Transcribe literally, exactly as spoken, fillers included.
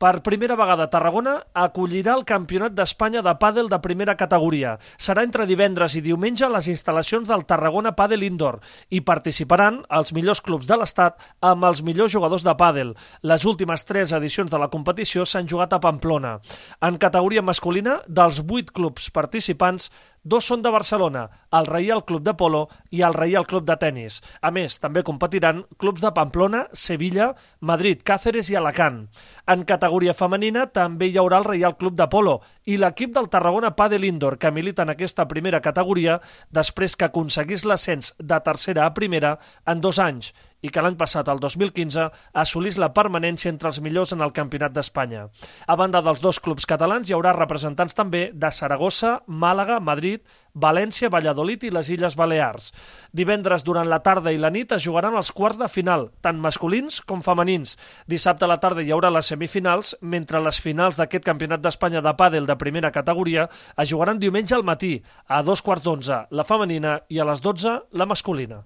Per primera vegada, Tarragona acollirà el Campionat d'Espanya de pàdel de primera categoria. Serà entre divendres i diumenge a les instal·lacions del Tarragona Pàdel Indoor i participaran els millors clubs de l'estat amb els millors jugadors de pàdel. Les últimes tres edicions de la competició s'han jugat a Pamplona. En categoria masculina, dels vuit clubs participants, dos són de Barcelona, el Reial Club de Polo i el Reial Club de Tenis. A més, també competiran clubs de Pamplona, Sevilla, Madrid, Càceres i Alacant. En categoria femenina també hi haurà el Reial Club de Polo i l'equip del Tarragona Pàdel Indoor, que milita en aquesta primera categoria després que aconseguís l'ascens de tercera a primera en dos anys i que l'any passat, el dos mil quinze, assolís la permanència entre els millors en el Campionat d'Espanya. A banda dels dos clubs catalans, hi haurà representants també de Saragossa, Màlaga, Madrid, València, Valladolid i les Illes Balears. Divendres, durant la tarda i la nit, es jugaran els quarts de final, tant masculins com femenins. Dissabte a la tarda hi haurà les semifinals, mentre les finals d'aquest Campionat d'Espanya de pàdel de primera categoria es jugaran diumenge al matí, a dos quarts d'onze la femenina i a les dotze la masculina.